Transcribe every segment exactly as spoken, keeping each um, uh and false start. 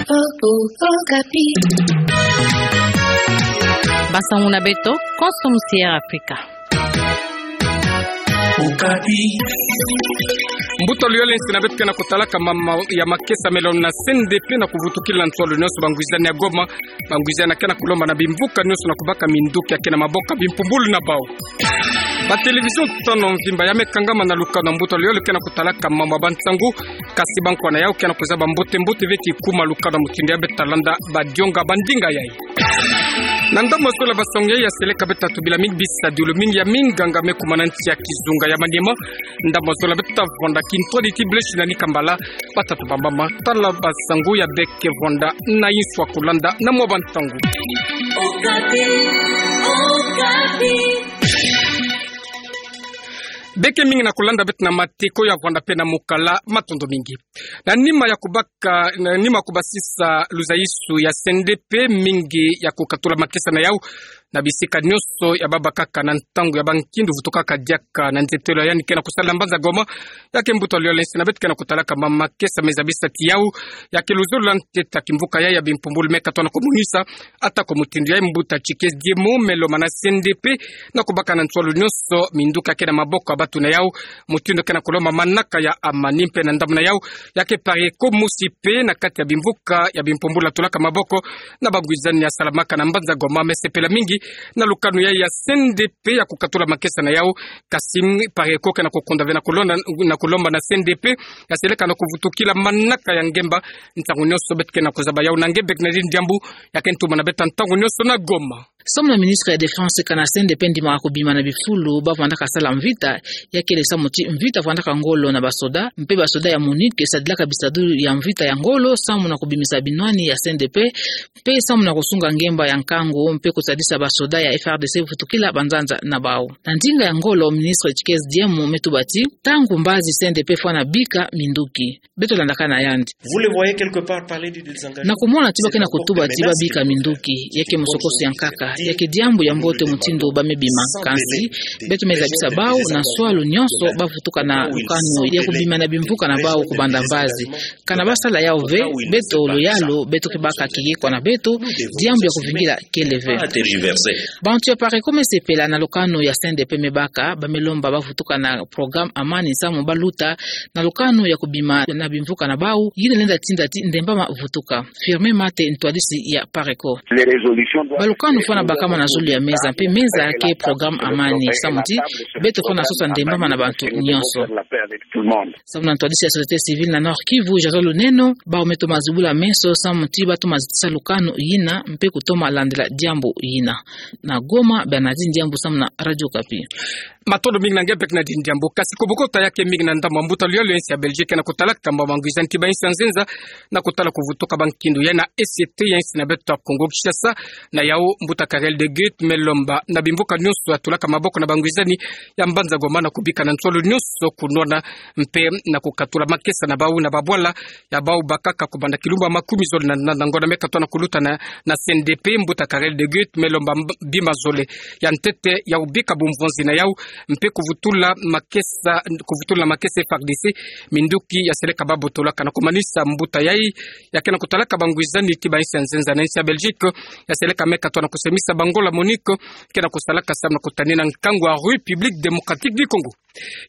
Okapi. Basangu na beto, konso musi Air Afrika. Okapi. Mbuta Luyole, nsi na beto ke na kutalaka mama ya makesa melo na C N D P na kuvutukila ntsolo nyonso bangwizani ya Goma, bangwizani ya ke na kulomba na bimvuka nyonso na kubaka minduki ya ke na maboko ya bimpumbulu na bau. Ba télévision tano mvimba ya me kangama na lukanu ya Mbuta Luyole ke na kutalaka mama bansangu, kasi bankwa na yau ke na kuzaba mbote-mbote ve kikuma lukanu ya mutindu ya beta landa ba dionga ba ndinga yai. Na ndambu ya zola basangu yai ya seleka beta tubila mingi bisadiulu mingi ya minganga me kumana nsi ya kizunga ya Maniema. Ndambu ya zola beta vwanda kintwadi ti Blaise na Nikambala, bata tubamba ma tala basangu ya beke vwanda na inswa kulanda na mwa bantangu. Okapi, Okapi. Beke mingi na kulanda beto na mateko ya vwanda pe na mukala, matondo mingi. Na nima ya kubaka, na nima kubasisa luzaisu ya C N D P, mingi ya kukatula makesa na yau na bisika nyonso ya babakaka na ntangu ya bankindu vutukaka diaka na nzietelo ya yandi ke na kusala na mbanza Goma. Ya ke Mbuta Luyole, nsi na beto ke na kutalaka mama makesa me zabisa ti yau, ya ke luzolo la ntete ya kimvuka yai ya bimpumbulu me katwa na kumonisa. Atako mutindu yai, Mbuta Tshisekedi Diemo me lomba na C N D P na kubaka na ntsolo nyonso minduki ya ke na maboko ya batu na yau, mutindu ke na kulomba manaka ya amani. Mpe na ndambu na yau, ya ke PARECO mosi pe na kati ya bimvuka ya bimpumbulu ya tulaka maboko na bangwizani ya salamaka na mbanza Goma, me sepela mingi na lukanu yai ya C N D P ya kukatula makesa na yau. Kasi PARECO ke na kukunda ve na kulonda, na kulomba na C N D P ya seleka na kuvutukila manaka ya ngemba. Ntangu nyonso beto ke na kuzaba yau na nge Bernadine Diambu, ya ke ntumwa na beto ntangu nyonso na Goma. Samu na ministre ya défense, kana C N D P ndimaka kubima na bifulu ba vwandaka sala mvita, ya kele samu ti mvita vwandaka ngolo na basoda, mpe basoda ya MONUC sadilaka bisadiulu ya mvita ya ngolo samu na kubimisa binwani ya C N D P, mpe samu na kusunga ngemba ya nkangu, mpe kusadisa basoda ya F A R D C vutukila banzanza na bau. Na ndinga ya ngolo, ministre Tshisekedi Diemo me tuba ti, ntangu mbazi C N D P fwana bika minduki. Beto landaka na yandi. Vous les voyez quelque part parler de désengagement. Na kumona ti ba ke na kutuba ti ba bika minduki, ya ke musokoso ya nkaka, ya ke diambu ya mbote mutindu ba me bima. Kansi beto me zabisa bau na nswalu nyonso ba vutuka na lukanu ya kubima na bimvuka na bau kubanda mbazi. Kana ba sala yau ve, beto luyalu, beto ke baka kiyekwa na beto, diambu ya kuvingila kele ve. Bantu ya PARECO me sepela na lukanu ya C N D P me baka, ba me lomba ba vutuka na programme Amani samu ba luta na lukanu ya kubima na bimvuka na bau, yina lenda tinda ti ndembama vutuka. Firmin Mate, ntwadisi ya PARECO. Balukanu fwana bakama na zulu ya meza, mpe meza ke programme Amani, samu ti beto fwana sosa ndembama na bantu nyonso. Samu na ntwadisi ya société civile na Nord-Kivu, Jason Luneno, bau me toma zibula meso samu ti ba toma zitisa lukanu yina, mpe kutoma landila diambu yina. Na Goma, Bernadine Diambu samu na Radio Okapi. Matondo mingi na nge Bernadine Diambu. Kasi kubokota ya ke mingi na ndambu ya Mbuta Luyole, nsi ya Belgique, na kutalaka mama bangwizani ti ba insi ya nzenza na kutala kuvutuka bankindu ya na E C T ya insi na beto ya Congo Kinshasa. Na yau, Mbuta Karel de Gucht me lomba na bimvuka nyonso ya tulaka maboko na bangwizani ya mbanza Goma na kubika na nswalu nyonso kunwana, mpe na kukatula makesa na bau na babwala ya bau bakaka kubanda kilumbu ya makumi zole na, na, na ngonda me katwa na kuluta na, na C N D P. Mbuta Karel de Gucht me lomba mb-, bima zole ya ntete ya kubika bumvonzi na yau, mpe kuvutula makesa, kuvutula makesa F A R D C minduki ya seleka ba botolaka. Na kumanisa, mbuta yai ya ke na kutalaka bangwizani ti ba insi ya nzenza na insi ya Belgique, ya seleka me katwa na kusemisa bangola MONUC ke na kusalaka samu na kutanina nkangu ya République Démocratique du Congo.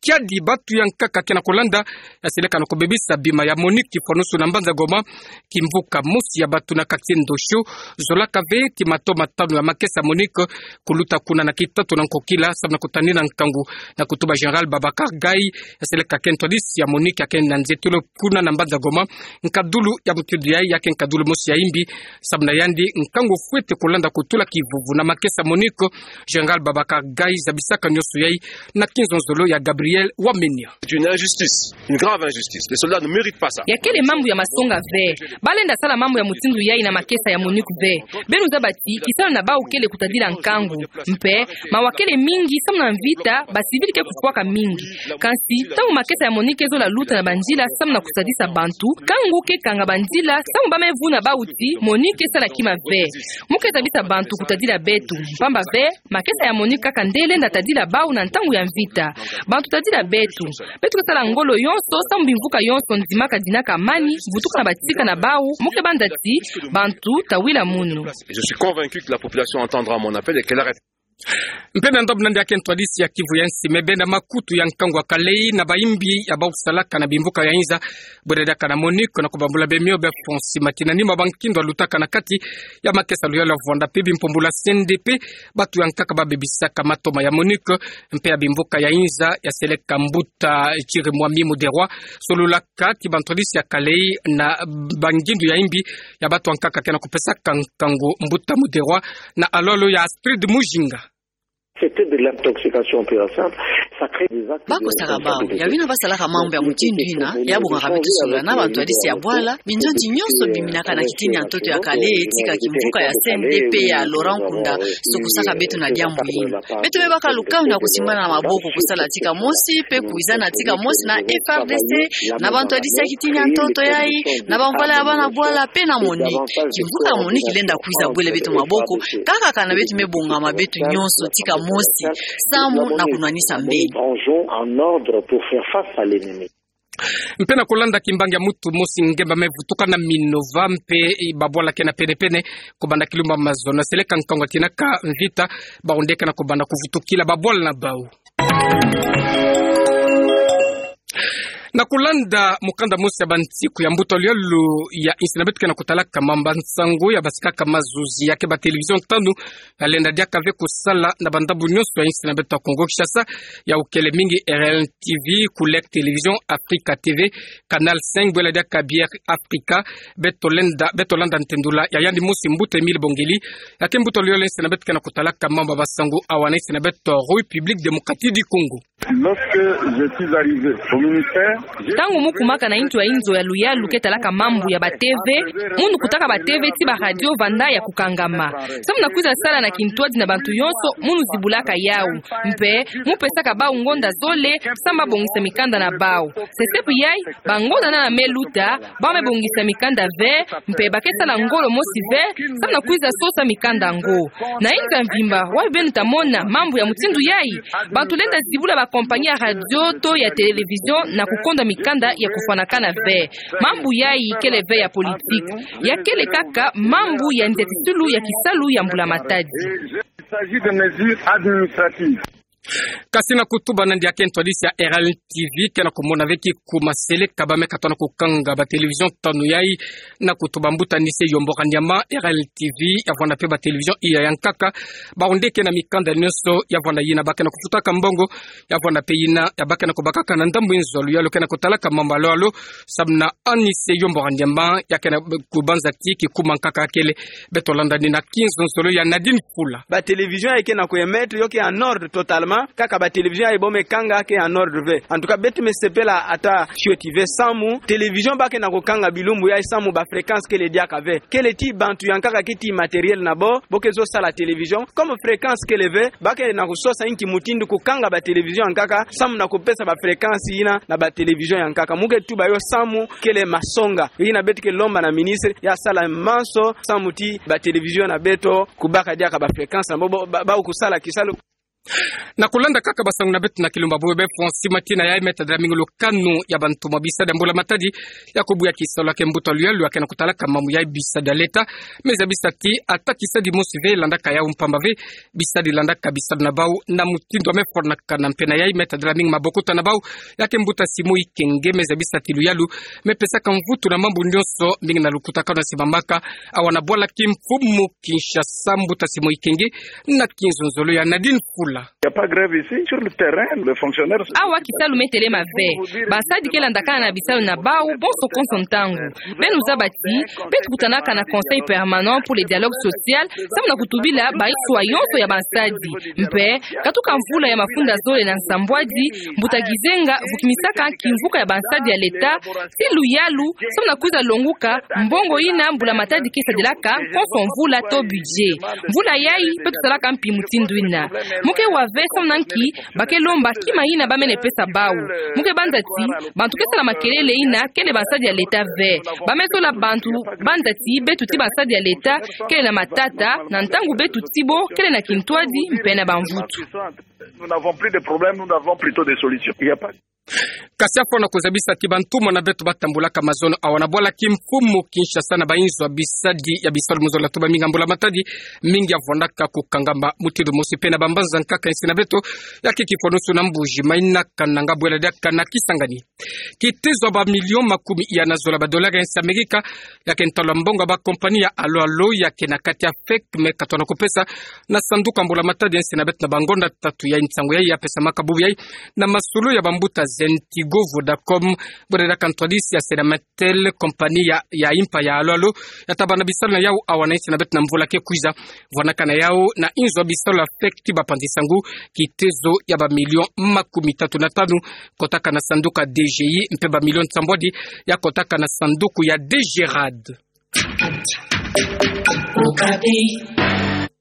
Kiadi batu ya nkaka ke na kulanda, ya seleka na kubebisa bima ya MONUC kifwanusu na mbanza Goma, kimvuka mosi ya batu na quartier Ndosho zolaka ve ti mato matanu ya makesa MONUC kuluta kuna na kitatu na nkokila, samu na kutanina nkangu na kutuba Général Babacar Gaye, ya seleka ke ntwadisi ya MONUC ya ke na nzietolo kuna na mbanza Goma. Nkadulu ya mutindu yai ya ke nkadulu mosi ya imbi, samu na yandi nkangu fwete kulanda kutula kivuvu na makesa MONUC. Général Babacar Gaye zabisaka nyonso yai na kinzonzolo ya Gabriel Wamenya. C'est une injustice, une grave injustice. Les soldats ne méritent pas ça. Ya kele mambu ya masonga ve. Ba lenda sala mambu ya mutindu yai na makesa ya MONUC ve. Beno zaba ti kisalu na bau kele kutadila nkangu. Mpe mawa kele mingi samu na mvita, ba civil ke kufwaka mingi. Kansi ntangu makesa ya MONUC ke zola luta na banzila samu na kusadisa bantu, nkangu ke kanga banzila samu ba me vuna bau ti MONUC ke sala kima ve. Mu ke zabisa bantu tadila beto. Mpamba ve, makesa ya MONUC kaka nde lenda tadila bau na ntangu ya mvita. Bantu tadila beto. Beto ke sala ngolo yonso, samu bimvuka yonso ndimaka dinaka amani, vutuka na batika na bau, mu ke banda ti, bantu tawila munu. Je suis convaincu que la population entendra mon appel et qu'elle arrête. Mpe na ndambu na ndiaki ntwadisi ya Kivu ya Nsemi, bena makutu ya nkangu wa Kalei na bayimbi ya bau salaka na bimvuka ya Inza, bwela diaka na MONUC na kubambula bemio be fonsi matina nima bankindo alutaka na kati ya makesa luyalu ya vwanda mpe bimpumbulu ya C N D P, batu ya nkaka babebisaka matoma ya MONUC, mpe ya bimvuka ya Inza ya seleka mbuta Chirimwami Muderwa, solulaka ti bantwadisi ya Kalei na bangindu ya imbi ya batu ya nkaka ke na kupesaka nkangu mbuta Muderwa, na alolo ya Astrid Mujinga. C'était de l'intoxication pure et simple. Ça crée des actes de... Bakosaka bau, ya bina basalaka mambu ya mutindu yina, ya bongaka beto solola na bantwadisi ya bwala, binzonzi nyonso biminaka na kitini ya ntoto ya Kalei, tika kimvuka ya C N D P ya Laurent Nkunda, sukusaka beto na diambu yina. Beto me baka lukanu na kusimbana na maboko kusala tika mosi, mpe kuwizana tika mosi na F A R D C, na bantwadisi ya kitini ya ntoto yayi, na bamvwala ya bana bwala, mpe na MONUC. Kimvuka ya MONUC kilenda kwiza bwele beto maboko, kaka kana beto me bongama beto nyonso tika mosi, samu na kunwanisa mbeni. Prenons en ordre pour faire face à l'ennemi. Mpe na kulanda kimbangi ya mutu mosi ngemba me vutuka na Minova mpe babwala ke na penepene, kubanda kilumbu ya mazono, seleka nkangu atinaka mvita, bau nde ke na kubanda kuvutukila babwala na bau. Na kulanda mukanda mosi ya bansiku ya mbuta luyalu ya insi na beto ke na kutalaka mamba nsangu ya basikaka mazuzi ya ke ba télévision tanu, ya lenda diaka ve kusala na bandambu nyonso ya insi na beto ya Kongo Kinshasa, ya ukele mingi R L T V, Kulek Télévision, Africa T V, Canal cinq, bwela diaka Bière Africa, beto lenda, beto landa ntendula ya yandi mosi mbuta Emile Bongeli, ya ke mbuta luyalu ya insi na beto ke na kutalaka mamba basangu awa na insi na beto République Démocratique du Congo. Lorsque je suis arrivé au ministère, j'ai... Ntangu mu kumaka na inzo ya inzo ya luyalu ke talaka mambu ya ba T V, munu kutaka ba T V ti ba radio vanda ya kukangama. Samu na kwiza sala na kintwadi na bantu yonso, munu zibulaka yau. Mpe, mu pesaka bau ngonda zole, samu ba bongisa mikanda na bau. Sesepi yai, bangonda nana me luta, bau me bongisa mikanda ve, mpe ba ke sala ngolo mosi ve, samu na kwiza sosa mikanda yango. Na inzo ya mvimba, wapi beno ta mona mambu ya mutindu yai? Bantu lenda zibula ba compagnie ya radio to ya télévision na kukonda mikanda ya kufwanakana ve. Mambu yai kele ve ya politique. Ya kele kaka mambu ya nzetisulu ya kisalu ya mbula matadi. Il s'agit de mesures administratives. Kasi na kutuba na ndiaki ntwadisi ya R L T V, ke na kumona ve kikuma seleka ba me katono kukanga ba télévision tanu yai, na kutuba mbuta Nise Yombo Kanyama, R L T V ya vwanda mpe ba télévision iya ya nkaka, bau nde ke na mikanda nyonso ya vwanda yina ba ke na kufutaka mbongo, ya vwanda mpe yina ya ba ke na kubakaka na ndambu inzo ya luyalu ke na kutalaka mamba lolo, samu na Anise Yombo Kanyama, ya ke na kubanza ti kikuma nkaka kele, beto landa ni na kinzonzolo ya Nadine Fula. Ba télévision yai ke na ku émettre yo ke en ordre totalement, kaka ba télévision yai bo me kanga ke en ordre ve. En tout cas, beto me sepela ata fioti ve samu télévision ba ke na kukanga bilumbu yai samu ba fréquence kele diaka ve. Kele ti bantu ya nkaka ke ti matériel na bo, bo ke zo sala télévision. Comme fréquence kele ve, ba ke na kusosa inki mutindu kukanga ba télévision ya nkaka, samu na kupesa ba fréquence yina na ba télévision ya nkaka. Mu ke tuba yo samu kele masonga. Yina beto ke lomba na ministre, ya sala manso, samu ti ba télévision na beto, kubaka diaka ba fréquence, na bo, bo, ba, bau kusala kisalu. Na kulanda kaka basangu na beto na kilumbu bo be fonsi matina yai me tadila mingi lukanu ya bantu ma bisadi ya mbula matadi, ya kubuya kisalu ya ke mbuta luyalu ya ke na kutalaka mambu ya bisadi ya leta, me zabisa ti ata kisadi mosi ve landaka yau mpamba ve, bisadi landaka bisalu na bau, na mutindu ya me fwanakana mpe na yai me tadila mingi mabokota na bau, ya ke mbuta Simon Ikenge me zabisa ti luyalu, me pesaka mvutu na mambu nyonso, mingi na lukutakanu ya simamaka, awa na bwala kimfumu Kinshasa, mbuta Simon Ikenge, na kinzonzolo ya Nadine Fula. Il y a pas grève ici, sur le terrain, les fonctionnaires sont... Awa kisalu me telema ve. Basadi ke landakana na bisalu na bau, bonso konso ntangu. Beno zaba ti, beto kutanaka na Conseil permanent pour le dialogue social, samu na kutubila ba iswa yonso ya bansadi. Mpe, katuka mvula ya mafunda zole na nsambwadi, mbuta Gizenga vukimisaka kimvuka ya bansadi ya leta, ti luyalu, samu na kwiza longuka mbongo yina mbula matadi ke sadilaka konso mvula to budget. Mvula yai, beto salaka mpi mutindu yina. Mu ke Awa ve samu na nki ba ke lomba kima yina ba mene pesa bawu. Mu ke banza ti bantu ke sala makelele yina kele bansadi ya leta ve. Ba me zola bantu banza ti beto ti bansadi ya leta kele na matata, na ntangu beto ti bo kele na kintwadi mpe na bamvutu. Nous n'avons plus de problèmes, nous n'avons plutôt des solutions. Il y a pas Kasi afwana kuzabisa ti bantumwa na beto ba tambulaka mazono awa na bwala kimfumu Kinshasa na bayinzo ya bisadi ya bisalu mu zola tuba mingi ya mbula matadi, mingi ya vwandaka kukangama mutindu mosi mpe na bambanza nkaka ya nsi na beto, ya ke kifwanusu na Mbuji Mayi na Kananga bwela diaka na Kisangani. Kitezo ya ba millions makumi ya na zola ba dollars ya nsi Amerika, ya ke ntalu ya mbongo ya ba compagnie ya alo alo ya ke na kati ya fake me katwa na kupesa na sanduku ya mbula matadi ya nsi na beto na bangonda tatu ya nsangu yayi ya pesamaka bubu yayi na masolo ya bambuta Zenty go Vodacom, bwela diaka ntwadisi ya Senametel, compagnie ya, ya impa ya alo alo, ya tabana bisalu na yawu awa na nsi na beto na mvula ke kwiza. Vwanaka na yawu na inzo ya bisalu ya fake ti bapanzi nsangu, kitezo ya ba millions makumi tatu na tanu kotaka na sanduku ya D G I, mpe ba millions nsambwadi ya kotaka na sanduku ya D G rad.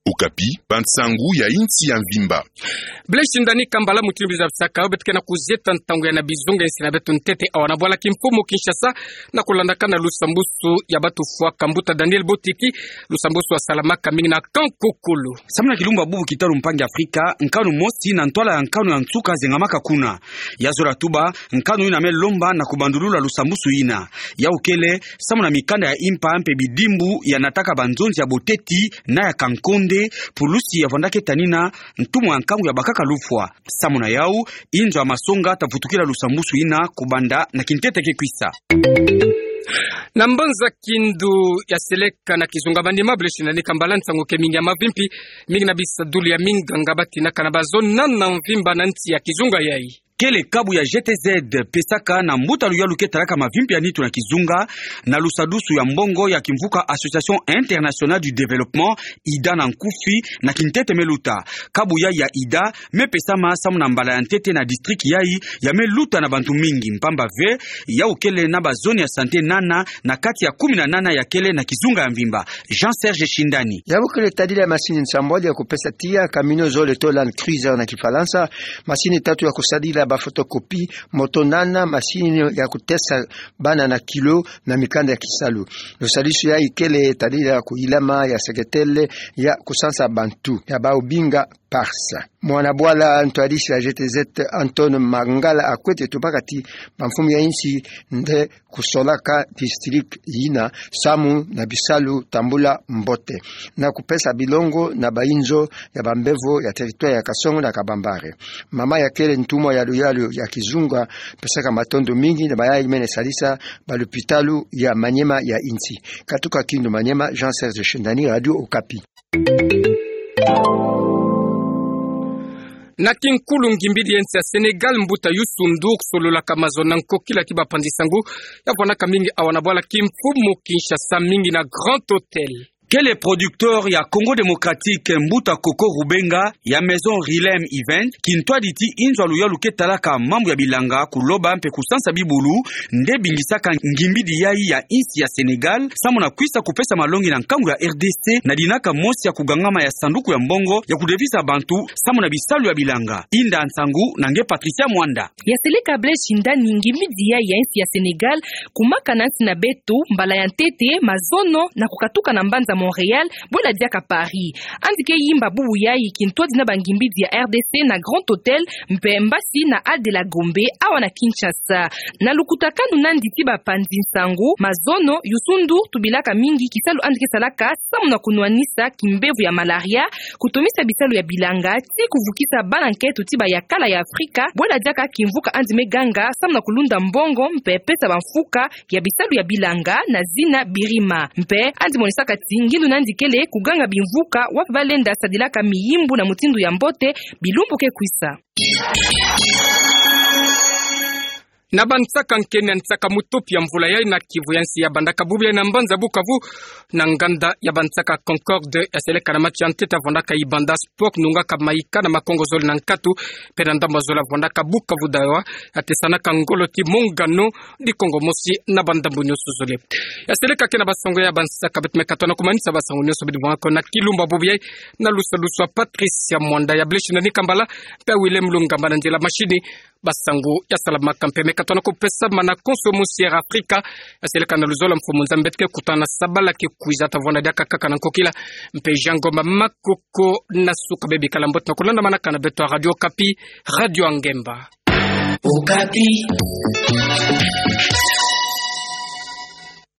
Okapi, bansangu ya insi ya mvimba. Blaise Shindani Kambala, mutindu bizabisaka yo, beto ke na kuzieta ntangu ya na bizunga ya nsi na beto ntete awa na bwala kimfumu Kinshasa, na kulandaka na lusambusu ya batu fwaka mbuta Daniel Botiki, lusambusu ya salamaka mingi na Kankokolo. Samu na kilumbu ya bubu kitalu mpangi Afrika, nkanu mosi na ntwala ya nkanu ya nsuka zengamaka kuna. Ya zola tuba, nkanu yina me lomba na kubandulula lusambusu yina. Yawu kele samu na mikanda ya impa mpe bidimbu ya nataka banzonzi ya boteti na ya kankonde, pulusi ya vwandaka tanina ntumwa ya nkangu ya bakaka lufwa. Samu na yawu, inzo ya masonga ta vutukila lusambusu yina kubanda na kintete ke kwisa. Na mbanza Kindu ya Seleka na kizunga Maniema, Blaise Shindani Kambala, nsangu ke mingi ya mavimpi, mingi na bisadulu ya minganga ba tinaka na bazono na mvimba na nsi ya kizunga yayi. Kele kabu ya G T Z pesaka na mbuta luyalu ke talaka mavimpi ya nitu na kizunga, na lusadusu ya mbongo ya kimvuka Association Internationale du Développement, ida na nkufi, na kintete me luta. Kabu yayi ya ida me pesama samu na mbala ya ntete na district yayi ya me luta na bantu mingi, mpamba ve yawu kele na bazone ya santé nana na kati ya kumi na nana ya kele na kizunga ya mvimba. Jean Serge Shindani. Yawu kele tadila ya masini nsambwadi ya kupesa tiya, camion zole to Land Cruiser na Kifalansa, masini tatu ya kusadila ba photocopie, moto nana, masini ya kutesa bana na kilo na mikanda ya kisalu. Lusadusu yayi kele tadila ya kuyilama ya seketele ya kusansa bantu ya bawu binga PARS. Mwana bwala ntwadisi ya G T Z, Anton Mangala, akwete tubaka ti bamfumu ya insi nde kusolaka district yina samu na bisalu tambula mbote na kupesa bilongo na bayinzo ya bambevo ya territoire ya Kasongo na Kabambare. Mama ya kele ntumwa ya luyalu ya kizunga pesaka matondo mingi na bayayi mene sadisa balupitalu ya Maniema ya insi. Katuka Kindu Maniema, Jean Serge Shindani, Radio Okapi. Na kinkulu ngimbidi ya nsi ya Sénégal, mbuta Youssou N'Dour, sololaka mazono na nkokila ti bapanzi nsangu, ya vwanaka mingi awa na bwala kimfumu Kinshasa, mingi na Grand Hôtel. Kele producteur ya Congo Démocratique, mbuta Coco Rubenga, ya Maison Rilem Event, kintwadi ti inzo ya luyalu ke talaka mambu ya bilanga, kuloba mpe kusansa bibulu, nde bingisaka ngimbidi yayi ya insi ya Sénégal, samu na kwisa kupesa malongi na nkangu ya R D C, na dinaka mosi ya kugangama ya sanduku ya mbongo ya kudevisa bantu samu na bisalu ya bilanga. Inda nsangu na nge Patricia Mwanda. Ya Seleka Blaise Shindani, ngimbidi yayi ya insi ya Sénégal kumaka na nsi na beto mbala ya ntete mazono na kukatuka na mbanza Montréal, bwela diaka Paris. Andi ke yimba bubu yayi kintwadi na bangimbidi ya R D C na Grand Hôtel, mpe mbasi na Hall de la Gombe awa na Kinshasa. Na lukutakanu nandi ti bapanzi nsangu, mazono, Youssou N'Dour tubilaka mingi kisalu andi ke salaka samu na kunwanisa kimbevo ya malaria, kutomisa bisalu ya bilanga, ti kuvukisa bana nketo ti bayakala ya Afrika, bwela diaka kimvuka andi me ganga samu na kulunda mbongo mpe pesa bamfuka ya bisalu ya bilanga na zina Birima. Mpe andi monisaka ti ngindu nandi kele kuganga bimvuka wapi balenda sadilaka miyimbu na mutindu ya mbote bilumbu ke kwisa. Na bansaka nkeni ya nsaka mutopi ya mvula yai na kivu ya nsi ya bandaka bubu yai na mbanza Bukavu, na nganda ya bansaka Concorde, ya seleka na match ya ntete ya vwandaka Ibanda Sport, nungaka maika na makongo zole na nkatu, mpe na ndambu zole ya vwandaka Bukavu Dawa, ya tesanaka ngolo ti Mongano di Kongo Mosi na bandambu nyonso zole. Ya seleka ke na basango ya bansaka, beto meka tona kumanisa basango nyonso bidi bwangaka na kilumbu bubu yai, na lusalusu ya Patricia Mwanda, ya Blaise Nani Kambala, mpe ya Willem Lungamba na nzila mashini. Basango ya salamaka mpe meka tona kupesa mana konso mu Sierra Africa, ya seleka na luzolo mfumu Nzambi beto ke kutana sabala ke kwiza, ta vwanda diaka kaka na nkokila, mpe Jean Ngoma Makoko na suka. Bebikala mbote na kulandamanaka na beto ya Radio Okapi, radio ya ngemba. Okapi.